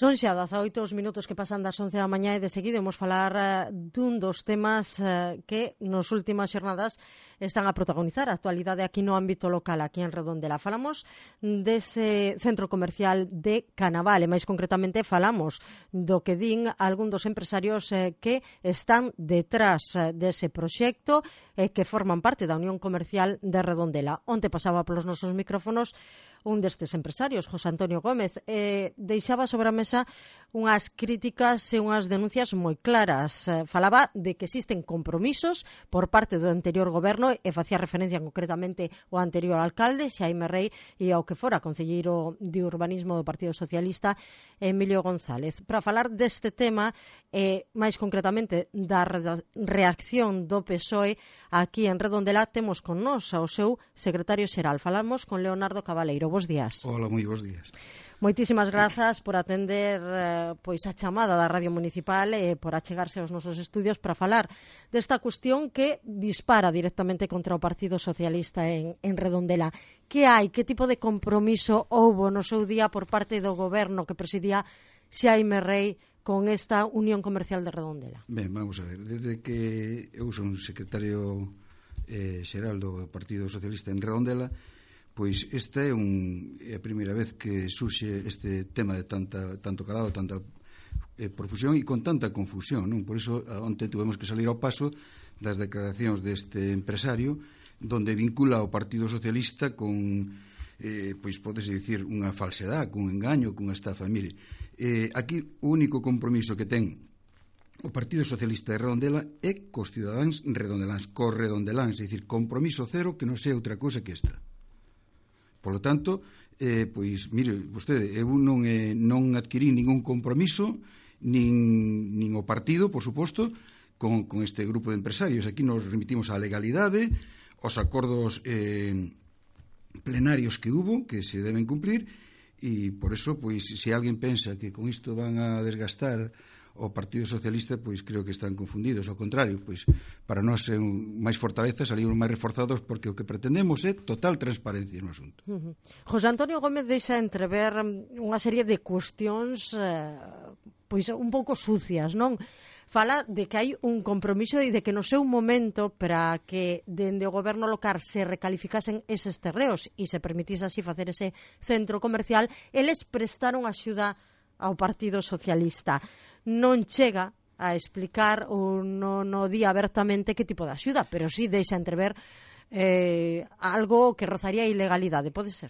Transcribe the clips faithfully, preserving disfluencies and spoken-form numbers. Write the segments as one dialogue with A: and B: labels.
A: Son xa dezaoito os minutos que pasan das once da mañá e de seguido imos falar uh, dun dos temas uh, que nos últimas xornadas están a protagonizar a actualidade aquí no ámbito local, aquí en Redondela. Falamos dese centro comercial de Canaval e máis concretamente falamos do que din algún dos empresarios uh, que están detrás uh, dese proxecto e uh, que forman parte da Unión Comercial de Redondela. Onte pasaba polos nosos micrófonos un destes empresarios, José Antonio Gómez, eh, deixaba sobre a mesa unhas críticas e unhas denuncias moi claras. Eh, falaba de que existen compromisos por parte do anterior goberno e facía referencia concretamente ao anterior alcalde, Xaime Rei, e ao que fora concelleiro de urbanismo do Partido Socialista, Emilio González. Para falar deste tema, e eh, máis concretamente da reacción do P S O E aquí en Redondela, temos con nós ao seu secretario xeral. Falamos con Leonardo Cabaleiro. Bos días.
B: Hola, moi bos días.
A: Moitísimas grazas por atender eh, pois a chamada da Radio Municipal e eh, por achegarse aos nosos estudios para falar desta cuestión que dispara directamente contra o Partido Socialista en, en Redondela. Que hai? Que tipo de compromiso houbo no seu día por parte do goberno que presidía Xaime Rei con esta Unión Comercial de Redondela?
B: Ben, vamos a ver. Desde que eu son secretario eh, xeral do Partido Socialista en Redondela, pois esta é, un, é a primeira vez que surxe este tema de tanta, tanto calado, tanta eh, profusión e con tanta confusión, non? Por iso, onte tuvemos que salir ao paso das declaracións deste empresario donde vincula o Partido Socialista con, eh, pois podese dicir, unha falsedade, cun engaño, cunha estafa. Mire, eh, aquí o único compromiso que ten o Partido Socialista de Redondela é cos cidadáns redondeláns, cos redondeláns, é dicir, compromiso cero que non sea outra cousa que esta. Por lo tanto, eh, pois, mire, vostede, eu non, eh, non adquirí ningún compromiso, nin, nin o partido, por suposto, con, con este grupo de empresarios. Aquí nos remitimos á legalidade, aos acordos eh, plenarios que hubo, que se deben cumplir, e por eso, pois, se alguén pensa que con isto van a desgastar o Partido Socialista, pois creo que están confundidos. Ao contrario, pois para nós é un, máis fortaleza, salimos máis reforzados porque o que pretendemos é total transparencia no asunto.
A: Uh -huh. José Antonio Gómez deixa entrever unha serie de cuestións eh, pois un pouco sucias, non? Fala de que hai un compromiso e de que no seu momento para que dende o goberno local se recalificasen eses terreos e se permitise así facer ese centro comercial, eles prestaron axuda ao Partido Socialista. Non chega a explicar ou non no di abertamente que tipo de axuda, pero sí deixa entrever eh, algo que rozaría a ilegalidade, pode ser?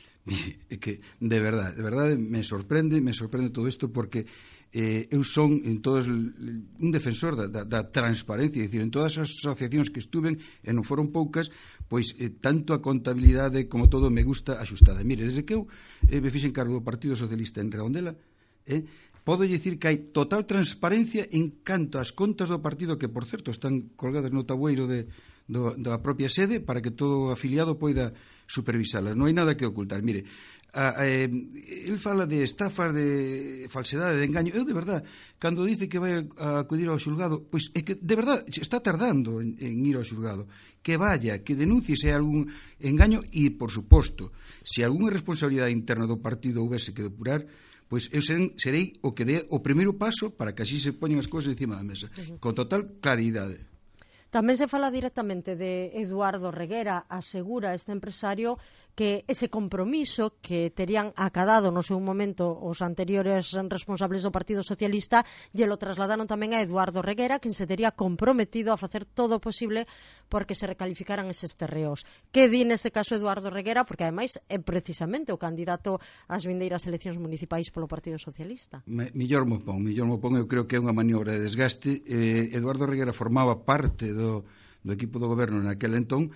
B: É que, de verdade, de verdade me sorprende, me sorprende todo isto porque eh, eu son en todos un defensor da, da, da transparencia, é dicir, en todas as asociacións que estuven, e non foron poucas, pois eh, tanto a contabilidade como todo me gusta axustada. Mire, desde que eu eh, me fixen cargo do Partido Socialista en Redondela, eh, podo dicir que hai total transparencia en canto ás contas do partido, que, por certo, están colgadas no tabueiro de, do, da propia sede para que todo afiliado poida supervisalas. Non hai nada que ocultar. Mire, a, a, el fala de estafas, de falsedade, de engaño. Eu, de verdad, cando dice que vai a acudir ao xulgado, pois é que, de verdad, está tardando en, en ir ao xulgado. Que vaya, que denuncie se hai algún engaño e, por suposto, se algunha responsabilidade interna do partido houvese que depurar, pois eu serei, serei o que dé o primeiro paso para que así se poñan as cousas encima da mesa, uh -huh. con total claridade.
A: Tamén se fala directamente de Eduardo Reguera, asegura este empresario que ese compromiso que terían acadado no seu momento os anteriores responsables do Partido Socialista lle lo trasladaron tamén a Eduardo Reguera, quen se tería comprometido a facer todo o posible porque se recalificaran eses terreos. Que di neste caso Eduardo Reguera? Porque ademais é precisamente o candidato ás vindeiras eleccións municipais polo Partido Socialista.
B: Me, millor mo pon, millor mo pon, eu creo que é unha maniobra de desgaste. Eh, Eduardo Reguera formaba parte do, do equipo do goberno naquel entón,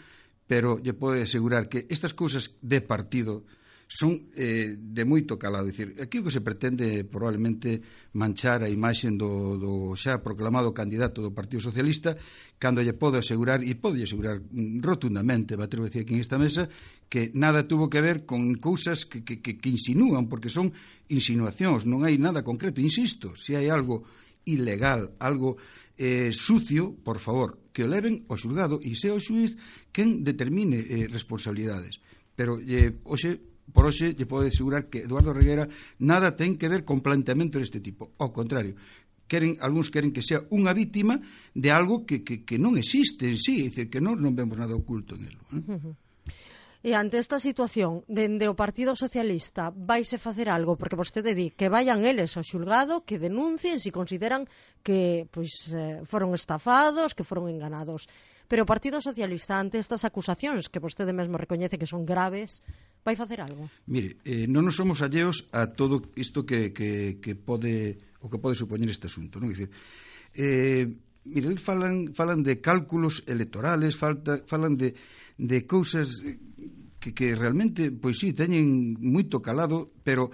B: pero lle podo asegurar que estas cousas de partido son eh, de moito calado. Dicir, aquí o que se pretende probablemente manchar a imaxe do, do xa proclamado candidato do Partido Socialista, cando lle podo asegurar, e podo asegurar rotundamente, me atrevo a decir aquí en esta mesa, que nada tuvo que ver con cousas que, que, que, que insinúan, porque son insinuacións, non hai nada concreto. Insisto, se hai algo ilegal, algo eh, sucio, por favor, que o leven ao xulgado e sea o xuiz quen determine eh, responsabilidades. Pero eh, hoxe por hoxe lle podo asegurar que Eduardo Reguera nada ten que ver con planteamento deste tipo. Ao contrario, queren, algúns queren que sea unha vítima de algo que, que, que non existe en sí, é dicir, que non, non vemos nada oculto en elo. Eh?
A: Uh-huh. E ante esta situación, dende o Partido Socialista, vaise facer algo? Porque vostede di que vayan eles ao xulgado, que denuncien se consideran que pois, eh, foron estafados, que foron enganados. Pero o Partido Socialista, ante estas acusacións, que vostede mesmo recoñece que son graves, vai facer algo?
B: Mire, eh, non nos somos alleos a todo isto que, que, que pode, o que pode supoñer este asunto, non? É dicir, eh, mire, falan, falan de cálculos electorales, falta, falan de, de cousas que, que realmente, pois sí, teñen moito calado, pero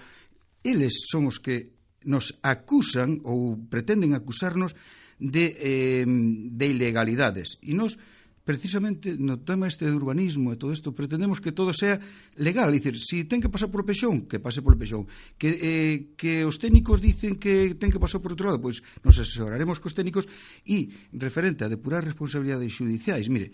B: eles son os que nos acusan ou pretenden acusarnos de, eh, de ilegalidades. E nos, precisamente, no tema este de urbanismo e todo isto, pretendemos que todo sea legal. É dicir, se ten que pasar por Pexón, que pase por Pexón. Que, eh, que os técnicos dicen que ten que pasar por outro lado, pois nos asesoraremos cos técnicos. E, referente a depurar responsabilidades xudiciais, mire,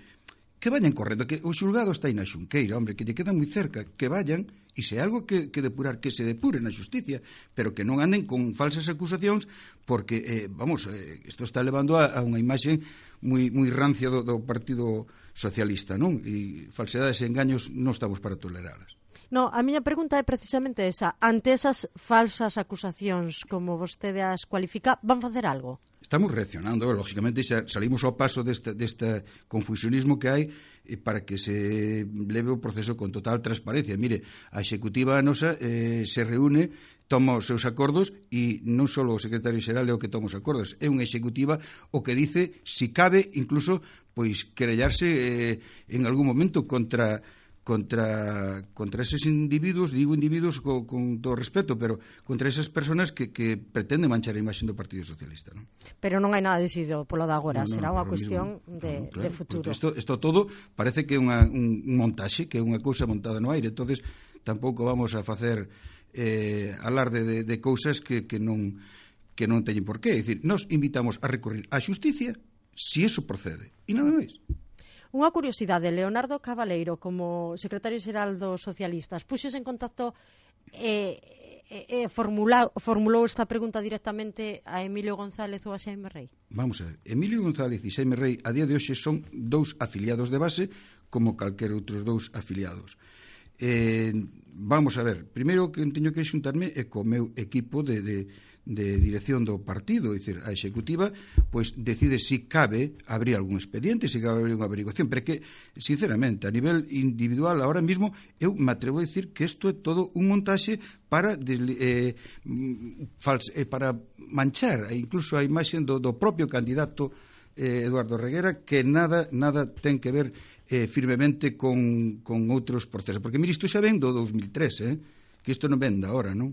B: que vayan correndo, que o xulgado está aí na Xunqueira, hombre, que lle queda moi cerca, que vayan, e se é algo que, que depurar, que se depure na xusticia, pero que non anden con falsas acusacións, porque, eh, vamos, eh, isto está levando a, a unha imaxe moi, moi rancia do, do Partido Socialista, non? E falsedades e engaños non estamos para toleralas.
A: No, a miña pregunta é precisamente esa. Ante esas falsas acusacións, como vostede as cualifica, van facer algo?
B: Estamos reaccionando, lógicamente xa salimos ao paso deste, deste confusionismo que hai para que se leve o proceso con total transparencia. Mire, a executiva nosa eh, se reúne, toma os seus acordos e non só o secretario xeral é o que toma os acordos, é unha executiva o que dice, si cabe, incluso, pois, querellarse eh, en algún momento contra... contra contra eses individuos, digo individuos co, con todo respeto, pero contra esas personas que, que pretenden manchar a imaxe do Partido Socialista, non?
A: Pero non hai nada decidido polo de agora, no, no, será unha cuestión
B: mismo,
A: de, no, claro, de futuro.
B: Isto, isto todo parece que é unha, un, un montaxe, que é unha cousa montada no aire, entonces tampouco vamos a facer eh, alarde de, de cousas que, que non que non teñen por qué. É dicir, nos invitamos a recurrir á xusticia se eso procede, e nada máis.
A: Unha curiosidade, Leonardo Cabaleiro, como secretario xeral dos socialistas, puxos en contacto e, e, e formula, formulou esta pregunta directamente a Emilio González ou a Xaime Rei?
B: Vamos a ver, Emilio González e Xaime Rei a día de hoxe son dous afiliados de base como calquer outros dous afiliados. Eh, vamos a ver, primeiro que teño que xuntarme é co meu equipo de, de, de dirección do partido, é dicir, a executiva pois decide se si cabe abrir algún expediente, se si cabe abrir unha averiguación, pero que, sinceramente, a nivel individual ahora mismo, eu me atrevo a decir que isto é todo un montaxe para eh, fals, eh, para manchar incluso a imaxe do, do propio candidato eh, Eduardo Reguera, que nada nada ten que ver eh, firmemente con, con outros procesos, porque mire, isto xa ven do dos mil tres, eh, que isto non ven da hora, non?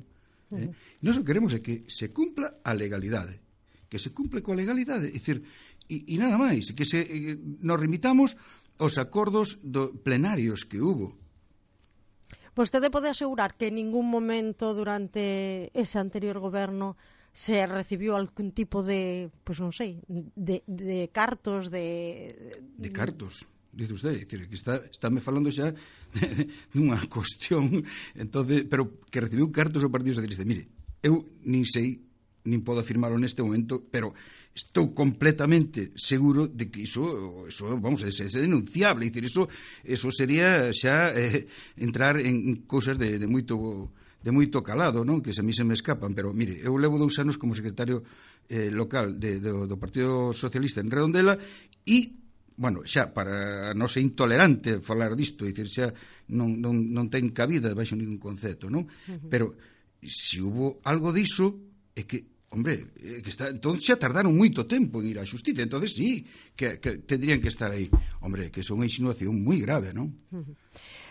B: Eh? Nós o que queremos é que se cumpla a legalidade, que se cumple coa legalidade, é dicir, e, e nada máis, que se eh, nos remitamos aos acordos do, plenarios que hubo.
A: Vostede pode asegurar que en ningún momento durante ese anterior goberno se recibiu algún tipo de, pois pues non sei, de, de cartos, de...
B: De cartos? Dice usted, decir, que está, estáme falando xa dunha cuestión, entonces, pero que recibiu cartos o Partido Socialista. Mire, eu nin sei, nin podo afirmarlo neste momento, pero estou completamente seguro de que iso, iso vamos, é, é denunciable, decir, iso, iso sería xa eh, entrar en cousas de, de moito de moito calado, non? Que se a mí se me escapan, pero mire, eu levo dous anos como secretario eh, local de, do, do Partido Socialista en Redondela e bueno, xa, para non ser intolerante falar disto, dicir, xa non, non, non ten cabida baixo ningún concepto, non? Uh-huh. Pero se hubo algo diso, é que, hombre, é que está, entón xa tardaron moito tempo en ir á xustiza, entonces sí, que, que tendrían que estar aí. Hombre, que é unha insinuación moi grave, non?
A: Uh-huh.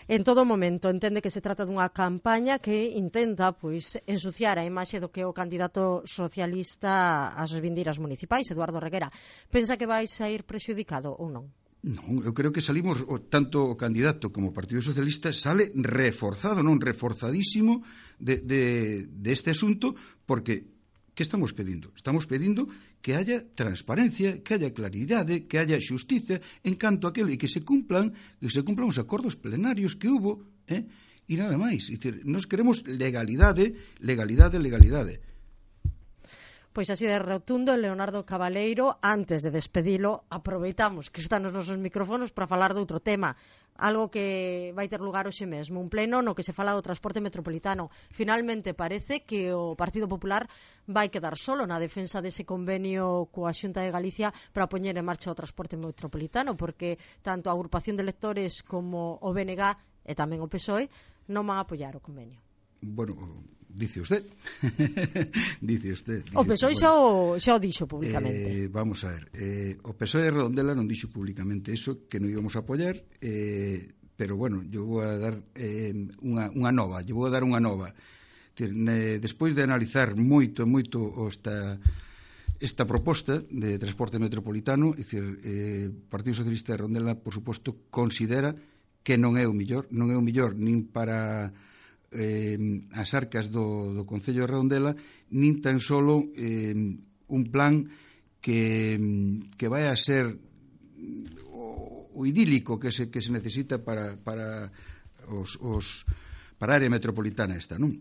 A: En todo momento entende que se trata dunha campaña que intenta pois ensuciar a imaxe do que é o candidato socialista ás vindeiras municipais, Eduardo Reguera. Pensa que vai sair prexudicado ou non?
B: Non, eu creo que salimos, o, tanto o candidato como o Partido Socialista sale reforzado, non reforzadísimo de, de, de este asunto, porque que estamos pedindo? Estamos pedindo que haya transparencia, que haya claridade, que haya xustiza en canto a aquilo e que se cumplan, que se cumplan os acordos plenarios que hubo, eh? e nada máis. É dicir, nos queremos legalidade, legalidade, legalidade.
A: Pois así de rotundo, Leonardo Cabaleiro, antes de despedilo, aproveitamos que están os nosos micrófonos para falar de outro tema, algo que vai ter lugar hoxe mesmo, un pleno no que se fala do transporte metropolitano. Finalmente parece que o Partido Popular vai quedar solo na defensa dese convenio coa Xunta de Galicia para poñer en marcha o transporte metropolitano, porque tanto a agrupación de electores como o B N G e tamén o P S O E non van a apoiar o convenio.
B: Bueno, dice usted. dice usted. Dice
A: o P S O E
B: usted.
A: xa, o, xa o dixo públicamente.
B: Eh, vamos a ver. Eh, o P S O E de Redondela non dixo públicamente eso, que non íbamos a apoiar, eh, pero bueno, yo vou a dar eh, unha, unha nova, yo vou a dar unha nova. Decir, ne, despois de analizar moito, moito esta, esta proposta de transporte metropolitano, é dicir, eh, o Partido Socialista de Redondela, por suposto, considera que non é o millor, non é o millor nin para Eh, as arcas do, do Concello de Redondela, nin tan solo eh, un plan que, que vai a ser o, o idílico que se, que se necesita para, para, os, os, para a área metropolitana esta, non?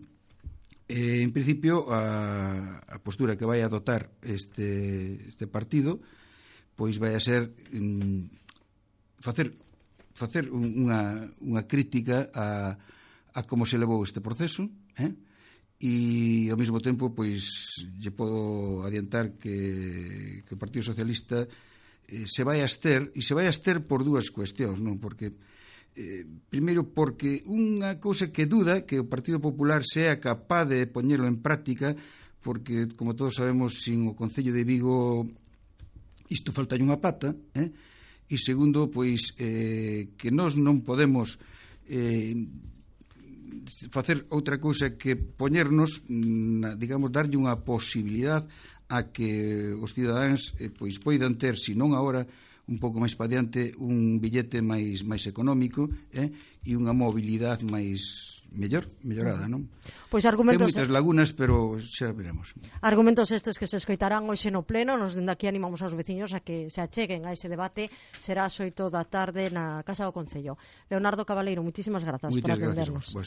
B: Eh, en principio, a, a postura que vai a adoptar este, este partido pois vai a ser mm, facer, facer unha, unha crítica a a como se levou este proceso, eh? E ao mesmo tempo pois lle podo adiantar que, que o Partido Socialista eh, se vai a ester, e se vai a ester por dúas cuestións, non? Porque eh, primeiro porque unha cousa que duda que o Partido Popular sea capaz de poñelo en práctica, porque como todos sabemos, sin o Concello de Vigo isto falta unha pata, eh? E segundo, pois eh, que nós non podemos eh, facer outra cousa que poñernos, na, digamos, darlle unha posibilidade a que os cidadáns eh, pois poidan ter, se non agora, un pouco máis pa diante, un billete máis máis económico, eh, e unha mobilidade máis mellor, mellorada, non?
A: Pois argumentos...
B: Ten moitas lagunas, pero xa veremos.
A: Argumentos estes que se escoitarán hoxe no pleno, nos dende aquí animamos aos veciños a que se acheguen a ese debate, será ás oito da tarde na Casa do Concello. Leonardo Cabaleiro, muitísimas grazas por atendernos.